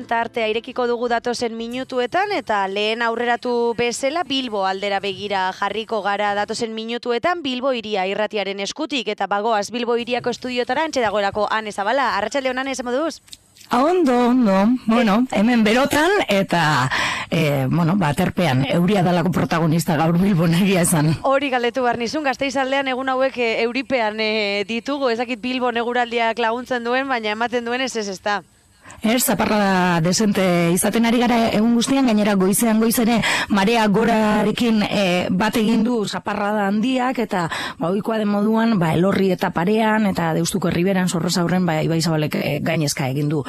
tartea irekiko dugu datozen minutuetan, eta lehen aurreratu bezala Bilbo aldera begira jarriko gara datozen minutuetan Bilbo Hiria irratiaren eskutik, eta bagoaz Bilbo Hiriako estudiotara antxe dagoelako Ane Zabala. Arratsalde on, Ane, esan moduz? Ondo. Bueno, hemen berotan eta terpean euria dalako protagonista gaur Bilbon egia esan. Hori galdetu behar nizun, Gasteizaldean egun hauek euripean ditugu, ezakit Bilbon eguraldiak laguntzen duen, baina ematen duen ez da. Zaparrada desente izaten ari gara egun guztian, gainera goizere marea gorarekin bat egin du zaparrada handiak, eta ohikoa den moduan Elorri eta Parean eta Deustuko Erriberan Sorrosaurren Ibai Zabalek gainezka egin du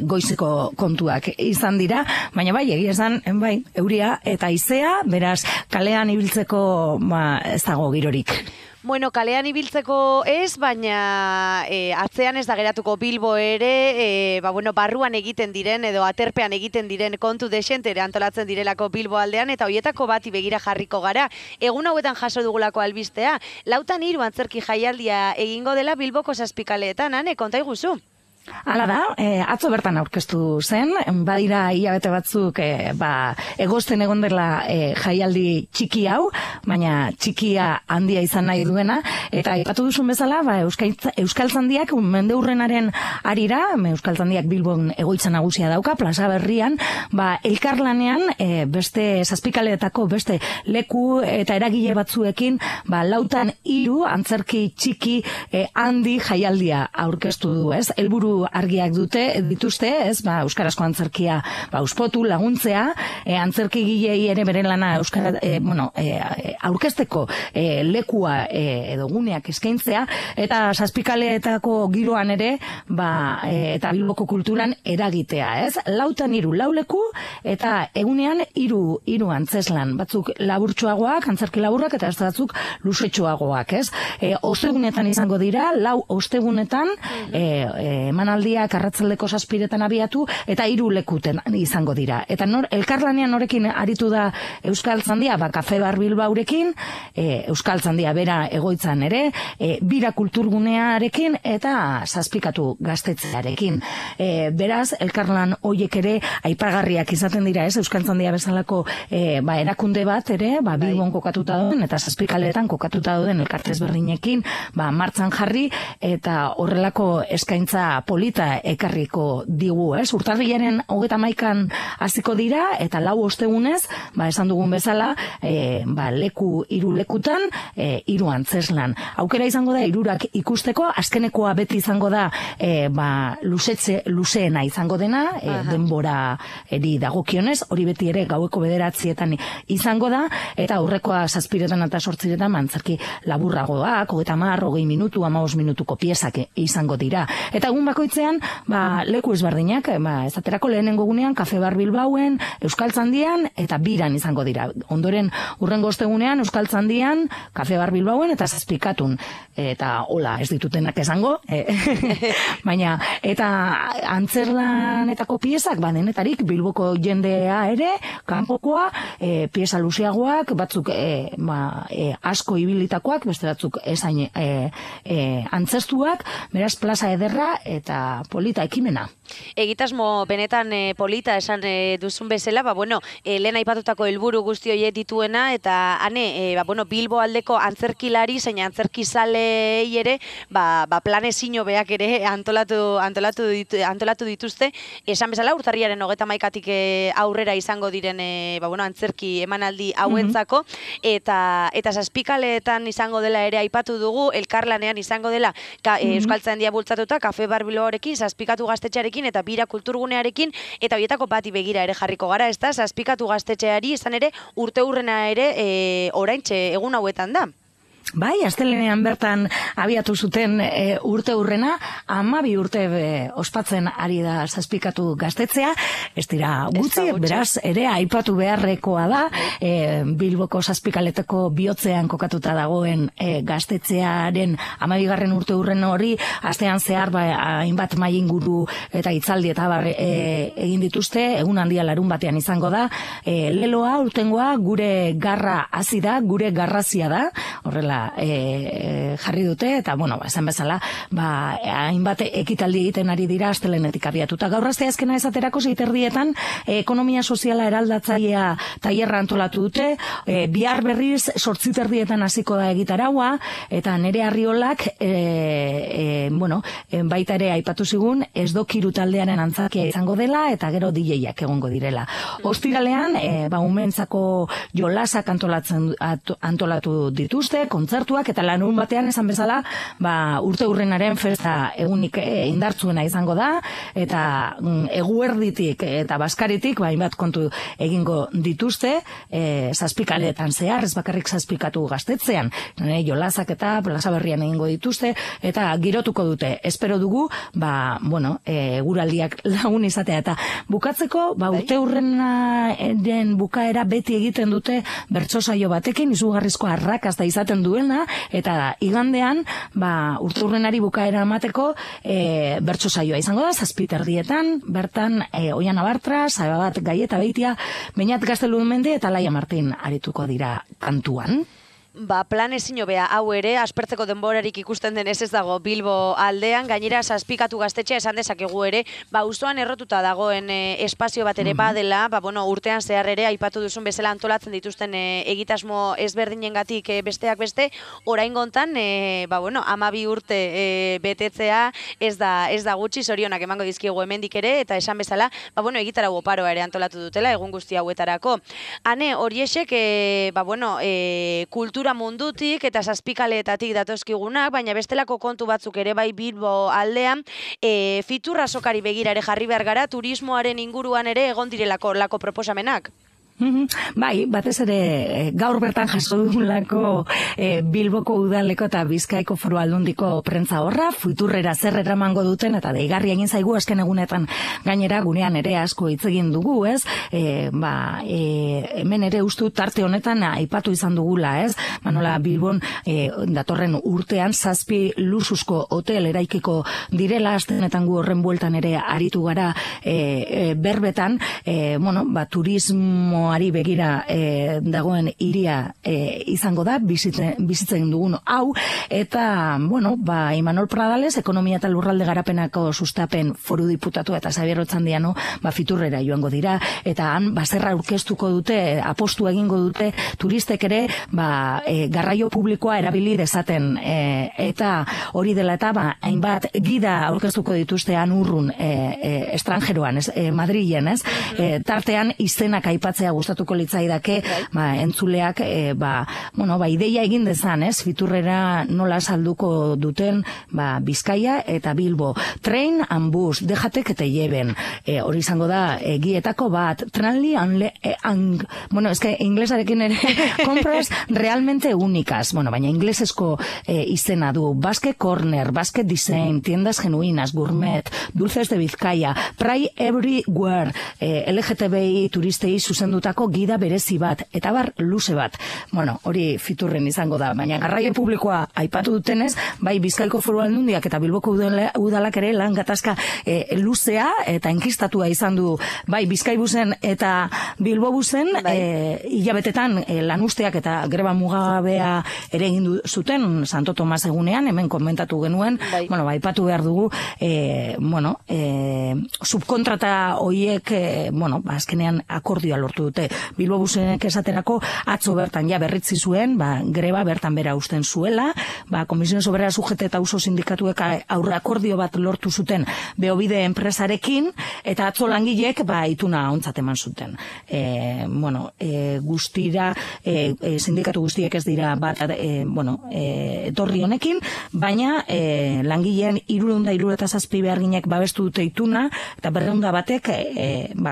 goizeko kontuak izan dira, baina egia esan euria eta haizea, beraz kalean ibiltzeko ez dago girorik. Bueno, kalean ibiltzeko ez, baina atzean ez da geratuko Bilbo ere, barruan egiten diren edo aterpean egiten diren kontu desentere antolatzen direlako Bilbo aldean, eta hoietako bati begira jarriko gara. Egun hauetan jaso dugulako albistea, 4:03 antzerki jaialdia egingo dela Bilboko Zazpikaleetan, Ane, konta iguzu. Hala da, atzo bertan aurkeztu zen, badira hilabete batzuk egosten egon dela jaialdi txiki hau, baina txikia handia izan nahi duena, eta aipatu duzun bezala, Euskaltzandiak mendeurrenaren arira, Euskaltzandiak Bilbon egoitza nagusia dauka, plaza berrian, elkarlanean beste Zazpikaleetako beste leku eta eragile batzuekin, 4:03 antzerki txiki handi jaialdia aurkeztu du, ez? Helburu argiak dituzte, ez, euskarazko antzerkia uspotu, laguntzea, antzerkigilei ere beren lana aurkezteko lekua edo guneak eskaintzea, eta Zazpikaleetako giroan ere, eta Bilboko kulturan eragitea, ez? 4:03 lau leku, eta egunean 3 antzeslan, batzuk laburtsuagoak, antzerki laburrak, eta ez batzuk luzetxoagoak, ez? Ostegunetan izango dira, 4 ostegunetan, emanaldiak arratsaldeko 7:00 abiatu, eta 3 lekuten izango dira. Eta elkarlanean norekin aritu da Euskaltzandia, Kafe Bar Bilbaurekin, Euskaltzandia bera egoitzan ere, Bira kulturgunearekin eta Zazpikatu gaztetzearekin. Beraz, elkarlan hoiek ere aipagarriak izaten dira, ez? Euskaltzandia bezalako erakunde bat ere, Bilbon kokatuta dauden eta Zazpikaleetan kokatuta dauden elkartez berdinekin, martxan jarri, eta horrelako eskaintza polita ekarriko digu, ez? Urtarrilaren 31 hasiko dira, eta 4 ostegunez, esan dugun bezala, 3 lekutan, 3 antzeslan. Aukera izango da 3 ikusteko, azkenekoa beti izango da luzeena izango dena, denbora dagokionez, hori beti ere gaueko 9:00 izango da, eta aurrekoa 7:00 eta 8:00 antzerki laburragoak, 30, 20 minutu, 15 minutuko piezak izango dira. Eta egun bakoitzean, leku ezberdinak, esaterako lehenengo gunean, Kafe Bar Bilbauen, Euskaltzandian, eta Biran izango dira. Ondoren, urrengo ostegunean, Euskaltzandian, Kafe Bar Bilbauen, eta Zazpikatun. Eta hola, ez ditutenak esango. Baina, eta antzerlanetako piezak, denetarik, Bilboko jendea ere, kanpokoa, pieza luzeagoak, batzuk asko ibilitakoak, beste batzuk esain antzestuak, beraz plaza ederra eta polita ekimena. Egitasmo benetan polita esan duzun bezala, lehen aipatutako helburu guzti horiek dituena, eta Ane, Bilbo aldeko antzerkilari zein antzerkizalei ere, planezino beak ere antolatu dituzte, esan bezala urtarriaren 31 aurrera izango diren antzerki emanaldi hauentzako, eta Zazpikaleetan izango dela ere aipatu dugu, elkarlanean izango dela Euskaltzandia bultzatuta, Kafe Bar Bilbaorekin, Zazpikatu gaztetxearekin eta Bira kulturgunearekin, eta horietako bati begira ere jarriko gara, ez da, Zazpikatu gaztetxeari izan ere urteurrena ere oraintxe egun hauetan da. Bai, astelenean bertan abiatu zuten urteurrena, 12 urte ospatzen ari da Zazpikatu gaztetzea, ez dira gutxi, beraz, ere aipatu beharrekoa da, Bilboko Zazpikaleteko bihotzean kokatuta dagoen gaztetzearen 12. urteurren hori, astean zehar hainbat mahai inguru eta hitzaldi eta egin dituzte, egun handia larun batean izango da, leloa, urtengoa, gure garra hasi da, gure garrazia da, horrela martxora jarri dute, eta, bueno, esan bezala, hainbat ekitaldi egiten ari dira astelehenetik abiatuta. Gaur asteazkena esaterako 6:30 ekonomia soziala eraldatzailea tailerra antolatu dute, bihar berriz 8:30 hasiko da egitaraua, eta nere Arriolak, bueno, baita ere aipatu zigun, ez dokiru taldearen antzakia izango dela, eta gero DJak egongo direla. Ostiralean, umeentzako jolasak antolatu dituzte, kontzertuak, eta larun batean esan bezala, urte hurrenaren festa egunik indartzuena izango da, eta eguerditik eta baskaritik, hainbat kontu egingo dituzte, zazpikaletan zehar, ez bakarrik zazpikatu gaztetzean, jolasak eta plaza berrian egingo dituzte, eta girotuko dute. Espero dugu, bueno, eguraldiak lagun izatea, eta bukatzeko, urte hurrenaren bukaera beti egiten dute bertso saio batekin, izugarrizko arrakasta izaten duena, eta igandean, urte hurrenari bukaera emateko bertso saioa izango da, 7:30, bertan Oiana Bartra, Sababat Gaieta Beitia, Beñat Gaztelumendi eta Laia Martin arituko dira kantuan. Plan ezin hobea hau ere, aspertzeko denborarik ikusten denez ez dago Bilbo aldean, gainera zazpikatu gaztetxea esan dezakegu ere, auzoan errotuta dagoen espazio bat ere badela, bueno, urtean zehar ere, aipatu duzun bezala antolatzen dituzten egitasmo ezberdinengatik besteak beste, oraingontan, bueno, 12 urte betetzea ez da gutxi, zorionak emango dizkiegu hemendik ere, eta esan bezala, bueno, egitarau oparoa ere antolatu dutela, egun guzti hauetarako. Hane, horiexek, bueno, kultura mundutik eta zazpikaleetatik datozkigunak, baina bestelako kontu batzuk ere bai Bilbo aldean, fiturra sokari begira ere jarri behar gara, turismoaren inguruan ere egon direlako lako proposamenak. Bai, batez ere gaur bertan jaso dugulako Bilboko udaleko eta Bizkaiko Foru Aldundiko prentza horra, futurrera zer eramango duten, eta deigarri egin zaigu azken egunetan gainera gunean ere asko hitz egin dugu, ez? Hemen ere ustu tarte honetan aipatu izan dugula, ez? Nola Bilbon datorren urtean 7 luxuzko hotel eraikiko direla, astenetan gu horren bueltan ere aritu gara berbetan, bueno, turismo ari begira dagoen hiria izango da, bizitzen dugun hau, eta, bueno, Imanol Pradales, ekonomia eta lurralde garapenako sustapen foru diputatu eta Xabier Otxandiano, fiturrera joango dira, eta han, zerra aurkeztuko dute, apostu egingo dute, turistek ere, garraio publikoa erabili dezaten, eta hori dela eta, hainbat gida aurkeztuko dituzte han urrun, estrangeroan, Madrilen, ez? Tartean, izenak aipatzea gustatuko litzaidake, entzuleak, bueno, ideia egin dezan, ez? Fiturrera nola salduko duten, Bizkaia eta Bilbo. Train and bus, déjate que te lleven. Hori izango da, gietako bat, Tranly bueno, es que inglesarekin ere, compras realmente únicas. Bueno, baina inglesesko izena du. Basque Corner, Basque Design, tiendas genuinas, gourmet, dulces de Bizkaia, Pray Everywhere, LGTBI turistei zuzendutako gida berezi bat, eta luze bat. Bueno, hori fiturren izango da, baina garraio publikoa aipatu dutenez, bai Bizkaiko Foru Aldundiak eta Bilboko udalak ere lan gatazka luzea eta enkistatua izan du, bai Bizkaibusen eta Bilbobusen, hilabetetan lanusteak eta greba mugabea ere egin zuten Santo Tomas egunean, hemen komentatu genuen, bueno, aipatu behar dugu, bueno, subkontrata hoiek, bueno, azkenean akordioa lortu dute. Bilbobusenek esaterako atzo bertan berritzi zuen, greba bertan bera usten zuela, Komisiones Obreras UGT eta Uso Sindikatuek aurre akordio bat lortu zuten Beobide enpresarekin, eta atzo langilek ituna ontzat eman zuten. Bueno, guztira, sindikatu guztiek ez dira bat, bueno, etorri honekin, baina langileen 377 beharginek babestu dute ituna, eta 200 batek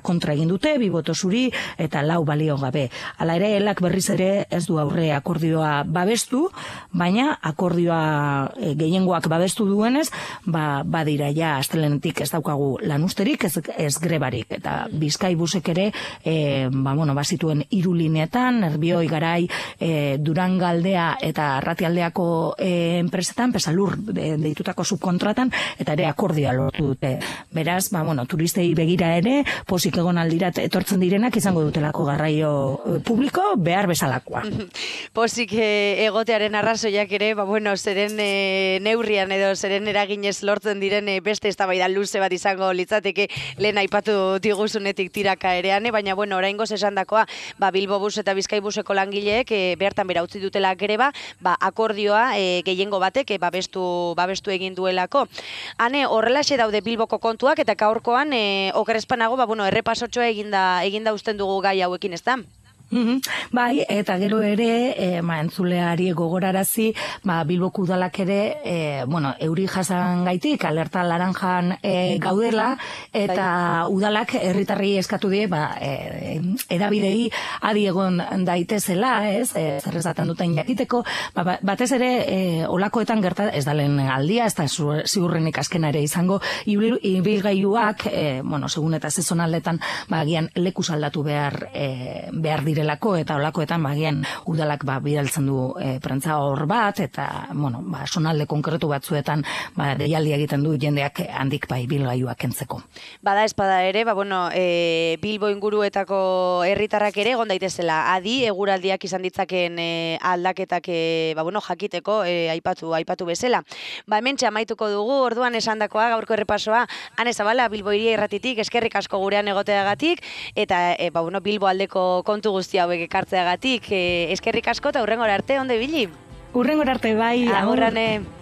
kontra egin dute, 2 boto zuri, eta 4 balio gabe. Hala ere, elak berriz ere ez du aurre akordioa babestu, baina akordioa gehiengoak babestu duenez, badira ja astelenetik ez daukagu lanusterik, ez grebarik, eta Bizkaibusek ere, bueno, bazituen 3 lineetan, Nerbioi, Garai, Durangaldea eta Arratialdeako enpresetan, Pesalur deitutako subkontratan, eta ere akordioa lortu dute. Beraz, bueno, turistei begira ere, posik egon aldirat etortzen direnak izango dutela bestelako garraio publiko behar bezalakoa. Pozik egotearen arrazoiak ere, bueno, zeren neurrian edo zeren eraginez lortzen diren beste eztabaida luze bat izango litzateke lehen aipatu diguzunetik tiraka erean, baina bueno, oraingoz esandakoa, Bilbo Bus eta Bizkaibuseko langileek bertan bera utzi dutela greba, akordioa gehiengo batek babestu egin duelako. Hane, horrelaxe daude Bilboko kontuak eta gaurkoan okerrezpanago, errepasotxoa eginda usten dugu gai hauekin, ez da? Bai, eta gero ere, entzuleari gogorarazi, Bilboko udalak ere, euri jasan gaitik, alerta laranjan gaudela, eta udalak herritarri eskatu die, edabidei adi egon daitezela, zer esaten duten jakiteko, batez ere, olakoetan gerta, ez da lehen aldia, ez da ziurrenik azkena ere izango, ibilgailuak, segun eta sezonaldetan, agian lekuz aldatu behar direlako, eta olakoetan bagian udalak bidaltzen du prentza hor bat, eta sonalde konkretu batzuetan deialdi egiten du jendeak handik ibilgailuak kentzeko. Bada espada ere, Bilbo inguruetako herritarrak ere egon daitezela adi eguraldiak izan ditzakeen aldaketak jakiteko aipatu bezala. Hementxe amaituko dugu, orduan esandakoa gaurko errepasoa, Ane Zabala, Bilbo Hiria Irratitik, eskerrik asko gurean egoteagatik, eta Bilbo aldeko kontu guzti hauek ekartzeagatik, eskerrik asko eta hurrengora arte, ondo ibili? Hurrengora arte, bai. Agurrane.